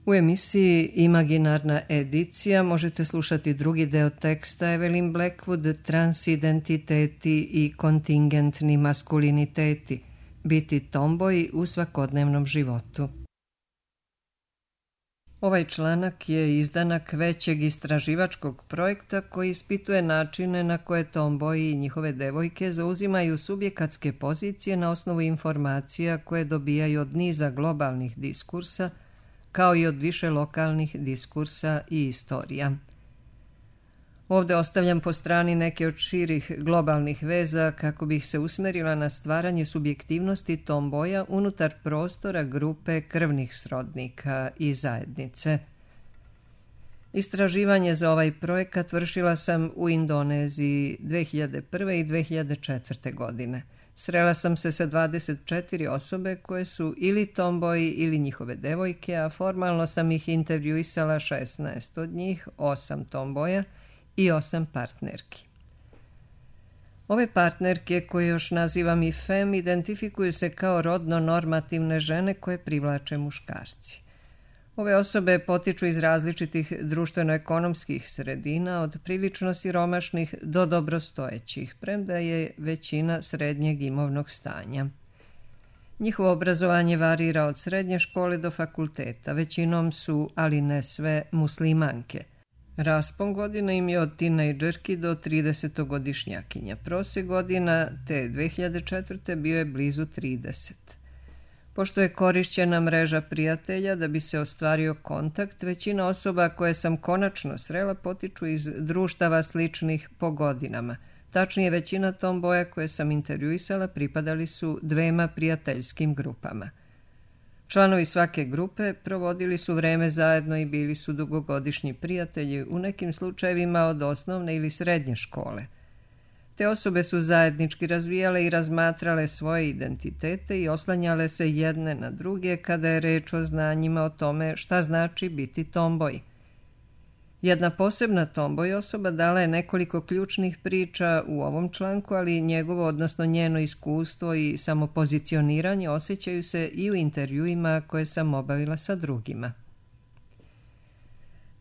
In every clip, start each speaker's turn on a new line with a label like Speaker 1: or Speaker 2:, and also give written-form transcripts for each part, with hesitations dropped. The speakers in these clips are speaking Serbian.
Speaker 1: U emisiji Imaginarna edicija možete slušati drugi deo teksta Evelyn Blackwood, Transidentiteti i kontingentni maskuliniteti, biti tomboji u svakodnevnom životu. Ovaj članak je izdanak većeg istraživačkog projekta koji ispituje načine na koje tomboji i njihove devojke zauzimaju subjekatske pozicije na osnovu informacija koje dobijaju od niza globalnih diskursa, kao i od više lokalnih diskursa i istorija. Ovdje ostavljam po strani neke od širih globalnih veza kako bih se usmerila na stvaranje subjektivnosti tomboja unutar prostora grupe krvnih srodnika i zajednice. Istraživanje za ovaj projekat vršila sam u Indoneziji 2001. i 2004. godine. Srela sam se sa 24 osobe koje su ili tomboji ili njihove devojke, a formalno sam ih intervjuisala 16 od njih, 8 tomboja i 8 partnerki. Ove partnerke, koje još nazivam i fem, identifikuju se kao rodno normativne žene koje privlače muškarci. Ove osobe potiču iz različitih društveno-ekonomskih sredina, od prilično siromašnih do dobrostojećih, premda je većina srednjeg imovnog stanja. Njihovo obrazovanje varira od srednje škole do fakulteta, većinom su, ali ne sve, muslimanke. Raspon godina im je od tinejdžerki do 30-godišnjakinja. Prosek godina te 2004. bio je blizu 30. Pošto je korišćena mreža prijatelja da bi se ostvario kontakt, većina osoba koje sam konačno srela potiču iz društava sličnih po godinama. Tačnije, većina tomboja koje sam intervjuisala pripadali su 2 prijateljskim grupama. Članovi svake grupe provodili su vreme zajedno i bili su dugogodišnji prijatelji, u nekim slučajevima od osnovne ili srednje škole. Te osobe su zajednički razvijale i razmatrale svoje identitete i oslanjale se jedne na druge kada je reč o znanjima o tome šta znači biti tomboj. Jedna posebna tomboj osoba dala je nekoliko ključnih priča u ovom članku, ali njegovo, odnosno njeno iskustvo i samopozicioniranje osjećaju se i u intervjuima koje sam obavila sa drugima.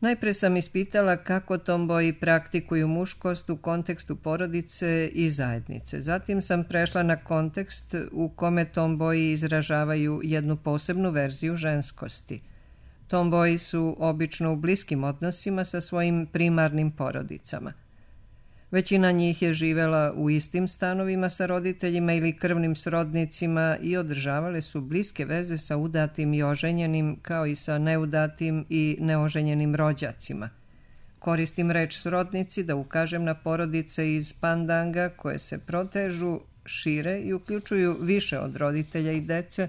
Speaker 1: Najpre sam ispitala kako tomboji praktikuju muškost u kontekstu porodice i zajednice. Zatim sam prešla na kontekst u kome tomboji izražavaju jednu posebnu verziju ženskosti. Tomboji su obično u bliskim odnosima sa svojim primarnim porodicama. Većina njih je živela u istim stanovima sa roditeljima ili krvnim srodnicima i održavale su bliske veze sa udatim i oženjenim, kao i sa neudatim i neoženjenim rođacima. Koristim reč srodnici da ukažem na porodice iz Pandanga koje se protežu, šire i uključuju više od roditelja i dece,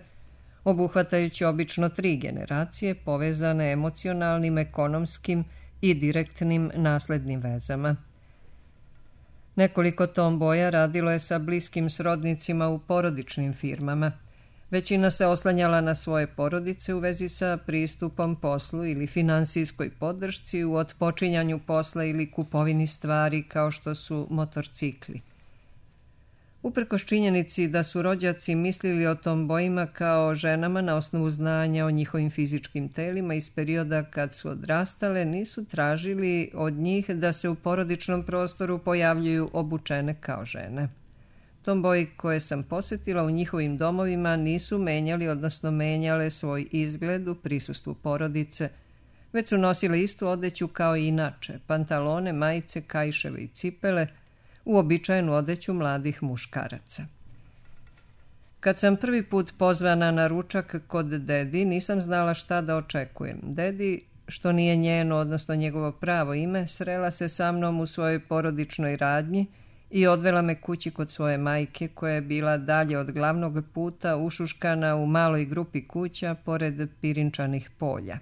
Speaker 1: obuhvatajući obično 3 generacije povezane emocionalnim, ekonomskim i direktnim naslednim vezama. Nekoliko tomboja radilo je sa bliskim srodnicima u porodičnim firmama. Većina se oslanjala na svoje porodice u vezi sa pristupom poslu ili finansijskoj podršci u otpočinjanju posla ili kupovini stvari kao što su motorcikli. Uprkos činjenici da su rođaci mislili o tombojima kao ženama na osnovu znanja o njihovim fizičkim telima iz perioda kad su odrastale, nisu tražili od njih da se u porodičnom prostoru pojavljuju obučene kao žene. Tomboji koje sam posetila u njihovim domovima nisu menjali, odnosno menjale svoj izgled u prisustvu porodice, već su nosile istu odeću kao i inače, pantalone, majice, kaiševe i cipele, uobičajenu odeću mladih muškaraca. Kad sam prvi put pozvana na ručak kod dedi, nisam znala šta da očekujem. Dedi, što nije njeno, odnosno njegovo pravo ime, srela se sa mnom u svojoj porodičnoj radnji i odvela me kući kod svoje majke, koja je bila dalje od glavnog puta, ušuškana u maloj grupi kuća pored pirinčanih polja.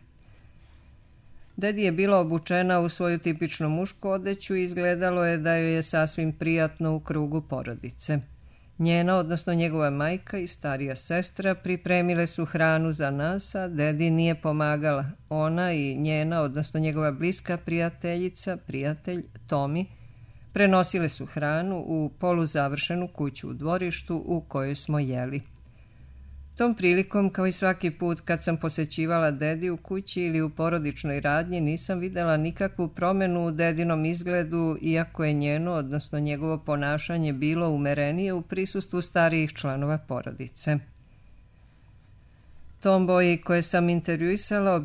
Speaker 1: Dedi je bila obučena u svoju tipičnu mušku odeću i izgledalo je da joj je sasvim prijatno u krugu porodice. Njena, odnosno njegova majka i starija sestra pripremile su hranu za nas, a dedi nije pomagala. Ona i njena, odnosno njegova bliska prijateljica, prijatelj Tomi, prenosile su hranu u poluzavršenu kuću u dvorištu u kojoj smo jeli. Tom prilikom, kao i svaki put kad sam posećivala dedi u kući ili u porodičnoj radnji, nisam vidjela nikakvu promjenu u dedinom izgledu, iako je njeno, odnosno njegovo ponašanje bilo umerenije u prisustvu starijih članova porodice. Tomboji koje sam intervjuisala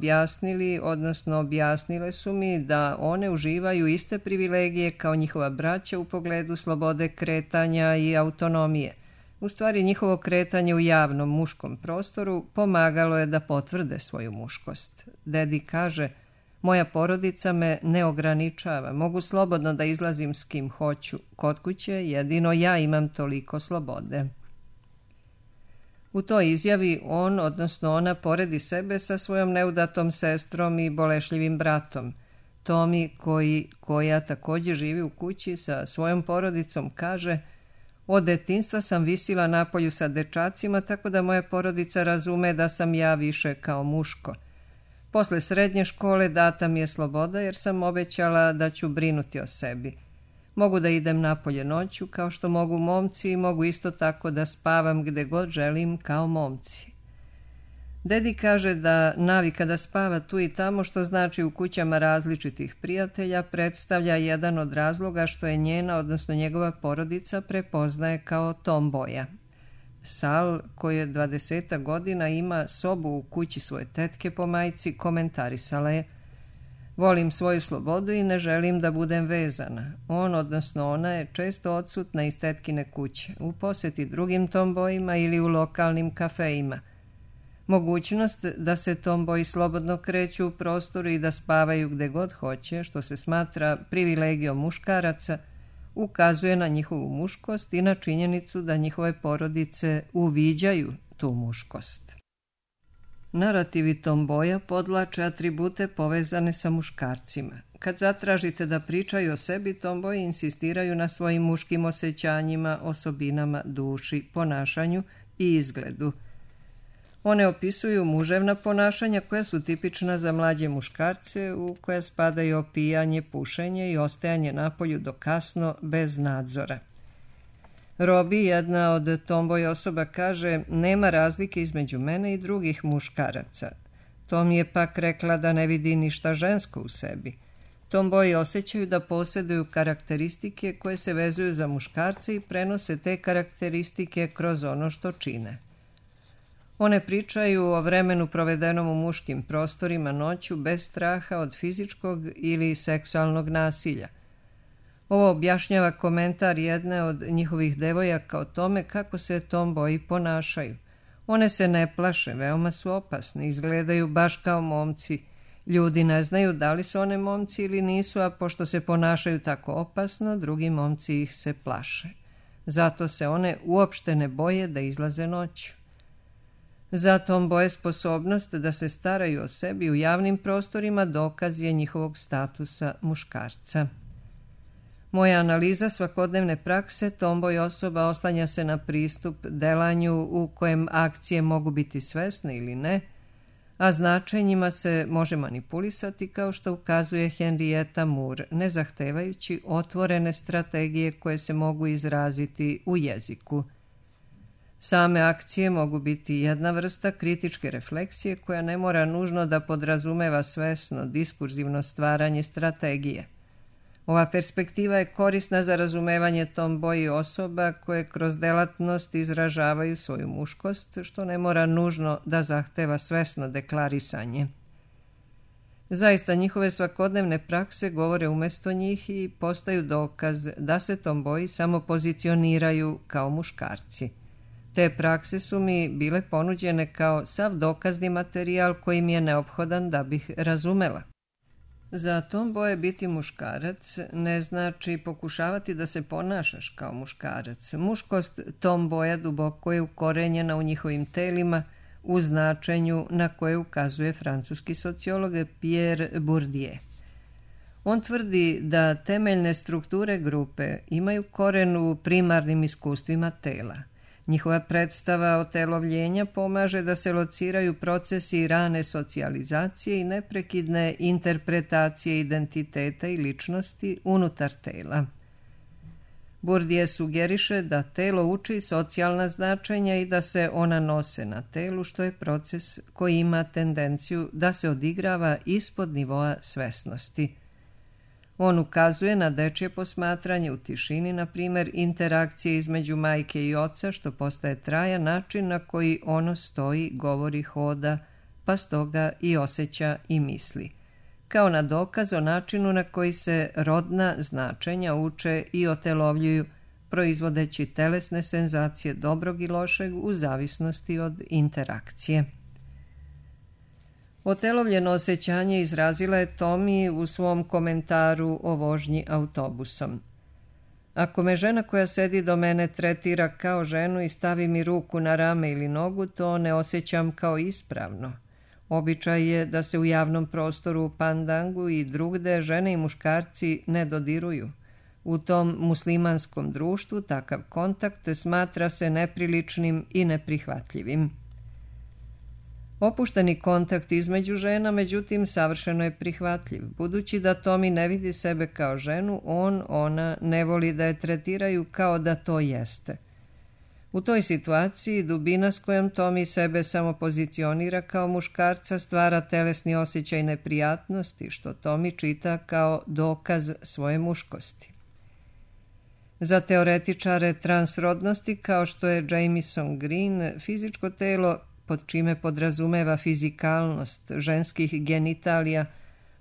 Speaker 1: objasnile su mi da one uživaju iste privilegije kao njihova braća u pogledu slobode kretanja i autonomije. U stvari, njihovo kretanje u javnom muškom prostoru pomagalo je da potvrde svoju muškost. Dedi kaže, moja porodica me ne ograničava, mogu slobodno da izlazim s kim hoću. Kod kuće jedino ja imam toliko slobode. U toj izjavi on, odnosno ona, poredi sebe sa svojom neudatom sestrom i bolešljivim bratom. Tomi, koja također živi u kući sa svojom porodicom, kaže, od detinjstva sam visila napolju sa dečacima, tako da moja porodica razume da sam ja više kao muško. Posle srednje škole data mi je sloboda jer sam obećala da ću brinuti o sebi. Mogu da idem napolje noću kao što mogu momci i mogu isto tako da spavam gde god želim kao momci. Dedi kaže da navika da spava tu i tamo, što znači u kućama različitih prijatelja, predstavlja jedan od razloga što je njena, odnosno njegova porodica, prepoznaje kao tomboja. Sal, koji je 20 godina ima sobu u kući svoje tetke po majci, komentarisala je: volim svoju slobodu i ne želim da budem vezana. On, odnosno ona, je često odsutna iz tetkine kuće, u posjeti drugim tombojima ili u lokalnim kafejima. Mogućnost da se tomboji slobodno kreću u prostoru i da spavaju gde god hoće, što se smatra privilegijom muškaraca, ukazuje na njihovu muškost i na činjenicu da njihove porodice uviđaju tu muškost. Narativi tomboja podvlače atribute povezane sa muškarcima. Kad zatražite da pričaju o sebi, tomboji insistiraju na svojim muškim osjećanjima, osobinama, duši, ponašanju i izgledu. One opisuju muževna ponašanja koja su tipična za mlađe muškarce, u koje spadaju opijanje, pušenje i ostajanje napolju do kasno bez nadzora. Robi, jedna od tomboj osoba, kaže: nema razlike između mene i drugih muškaraca. Tom je pak rekla da ne vidi ništa žensko u sebi. Tomboji osjećaju da posjeduju karakteristike koje se vezuju za muškarce i prenose te karakteristike kroz ono što čine. One pričaju o vremenu provedenom u muškim prostorima noću bez straha od fizičkog ili seksualnog nasilja. Ovo objašnjava komentar jedne od njihovih devojaka o tome kako se tomboji ponašaju. One se ne plaše, veoma su opasne, izgledaju baš kao momci. Ljudi ne znaju da li su one momci ili nisu, a pošto se ponašaju tako opasno, drugi momci ih se plaše. Zato se one uopšte ne boje da izlaze noću. Za tomboje sposobnost da se staraju o sebi u javnim prostorima dokaz je njihovog statusa muškarca. Moja analiza svakodnevne prakse tomboj osoba oslanja se na pristup delanju u kojem akcije mogu biti svesne ili ne, a značenjima se može manipulisati, kao što ukazuje Henrietta Moore, ne zahtevajući otvorene strategije koje se mogu izraziti u jeziku. Same akcije mogu biti jedna vrsta kritičke refleksije koja ne mora nužno da podrazumeva svesno, diskurzivno stvaranje strategije. Ova perspektiva je korisna za razumevanje tomboji osoba koje kroz delatnost izražavaju svoju muškost, što ne mora nužno da zahteva svesno deklarisanje. Zaista, njihove svakodnevne prakse govore umjesto njih i postaju dokaz da se tomboji samo pozicioniraju kao muškarci. Te prakse su mi bile ponuđene kao sav dokazni materijal koji mi je neophodan da bih razumela. Za tomboje biti muškarac ne znači pokušavati da se ponašaš kao muškarac. Muškost tomboja duboko je ukorenjena u njihovim telima, u značenju na koje ukazuje francuski sociolog Pierre Bourdieu. On tvrdi da temeljne strukture grupe imaju koren u primarnim iskustvima tela. Njihova predstava otelovljenja pomaže da se lociraju procesi rane socijalizacije i neprekidne interpretacije identiteta i ličnosti unutar tela. Bourdieu sugeriše da telo uči socijalna značenja i da se ona nose na telu, što je proces koji ima tendenciju da se odigrava ispod nivoa svesnosti. On ukazuje na dečje posmatranje u tišini, na primjer interakcije između majke i oca, što postaje trajan način na koji ono stoji, govori, hoda, pa stoga i osjeća i misli, kao na dokaz o načinu na koji se rodna značenja uče i otelovljuju, proizvodeći telesne senzacije dobrog i lošeg u zavisnosti od interakcije. Otelovljeno osjećanje izrazila je Tommy u svom komentaru o vožnji autobusom. Ako me žena koja sedi do mene tretira kao ženu i stavi mi ruku na rame ili nogu, to ne osjećam kao ispravno. Običaj je da se u javnom prostoru u Pandangu i drugde žene i muškarci ne dodiruju. U tom muslimanskom društvu takav kontakt smatra se nepriličnim i neprihvatljivim. Opušteni kontakt između žena, međutim, savršeno je prihvatljiv. Budući da Tommy ne vidi sebe kao ženu, ona ne voli da je tretiraju kao da to jeste. U toj situaciji dubina s kojom Tommy sebe samo pozicionira kao muškarca stvara telesni osjećaj neprijatnosti, što Tommy čita kao dokaz svoje muškosti. Za teoretičare transrodnosti, kao što je Jamieson Green, fizičko telo, pod čime podrazumeva fizikalnost ženskih genitalija,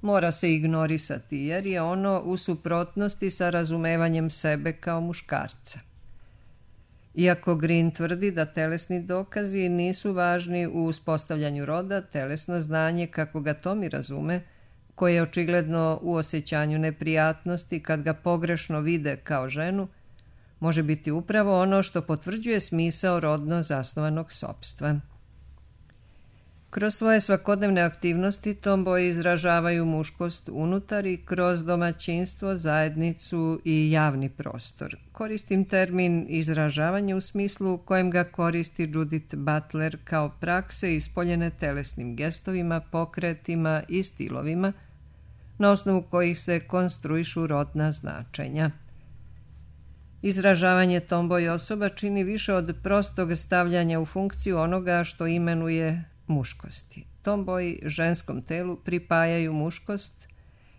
Speaker 1: mora se ignorisati, jer je ono u suprotnosti sa razumevanjem sebe kao muškarca. Iako Green tvrdi da telesni dokazi nisu važni u uspostavljanju roda, telesno znanje, kako ga Tommy razume, koje je očigledno u osjećanju neprijatnosti kad ga pogrešno vide kao ženu, može biti upravo ono što potvrđuje smisao rodno zasnovanog sopstva. Kroz svoje svakodnevne aktivnosti tomboji izražavaju muškost unutar i kroz domaćinstvo, zajednicu i javni prostor. Koristim termin izražavanje u smislu kojem ga koristi Judith Butler kao prakse ispoljene telesnim gestovima, pokretima i stilovima, na osnovu kojih se konstruišu rodna značenja. Izražavanje tomboji osoba čini više od prostog stavljanja u funkciju onoga što imenuje muškosti. Tomboji ženskom telu pripajaju muškost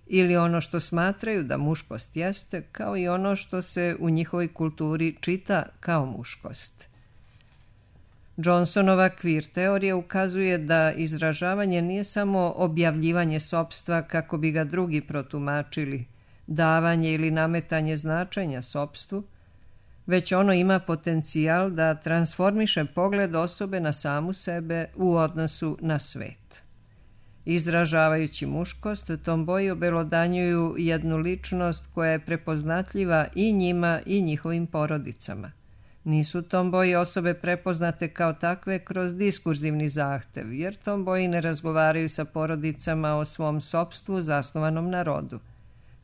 Speaker 1: ili ono što smatraju da muškost jeste, kao i ono što se u njihovoj kulturi čita kao muškost. Johnsonova queer teorija ukazuje da izražavanje nije samo objavljivanje sopstva kako bi ga drugi protumačili, davanje ili nametanje značenja sopstvu, već ono ima potencijal da transformiše pogled osobe na samu sebe u odnosu na svet. Izražavajući muškost, tomboji obelodanjuju jednu ličnost koja je prepoznatljiva i njima i njihovim porodicama. Nisu tomboji osobe prepoznate kao takve kroz diskurzivni zahtev, jer tomboji ne razgovaraju sa porodicama o svom sopstvu zasnovanom na rodu.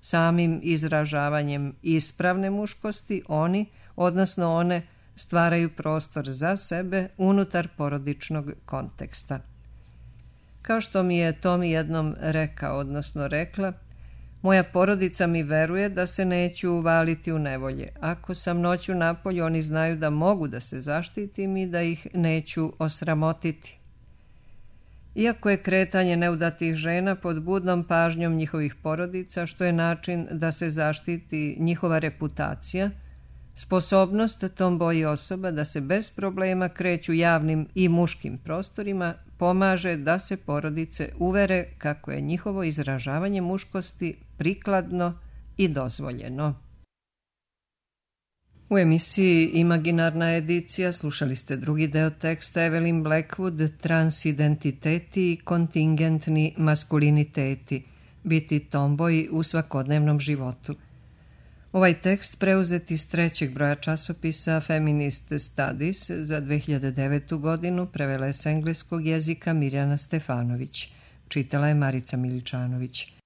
Speaker 1: Samim izražavanjem ispravne muškosti oni, odnosno one, stvaraju prostor za sebe unutar porodičnog konteksta. Kao što mi je Tommy jednom rekao, odnosno rekla, moja porodica mi veruje da se neću uvaliti u nevolje. Ako sam noću napolju, oni znaju da mogu da se zaštitim i da ih neću osramotiti. Iako je kretanje neudatih žena pod budnom pažnjom njihovih porodica, što je način da se zaštiti njihova reputacija, sposobnost tomboji osoba da se bez problema kreću javnim i muškim prostorima pomaže da se porodice uvere kako je njihovo izražavanje muškosti prikladno i dozvoljeno. U emisiji Imaginarna edicija slušali ste drugi deo teksta Evelyn Blackwood Transidentiteti i kontingentni maskuliniteti, biti tomboji u svakodnevnom životu. Ovaj tekst preuzet iz 3. broja časopisa Feminist Studies za 2009. godinu prevela je s engleskog jezika Mirjana Stefanović. Čitala je Marica Miličanović.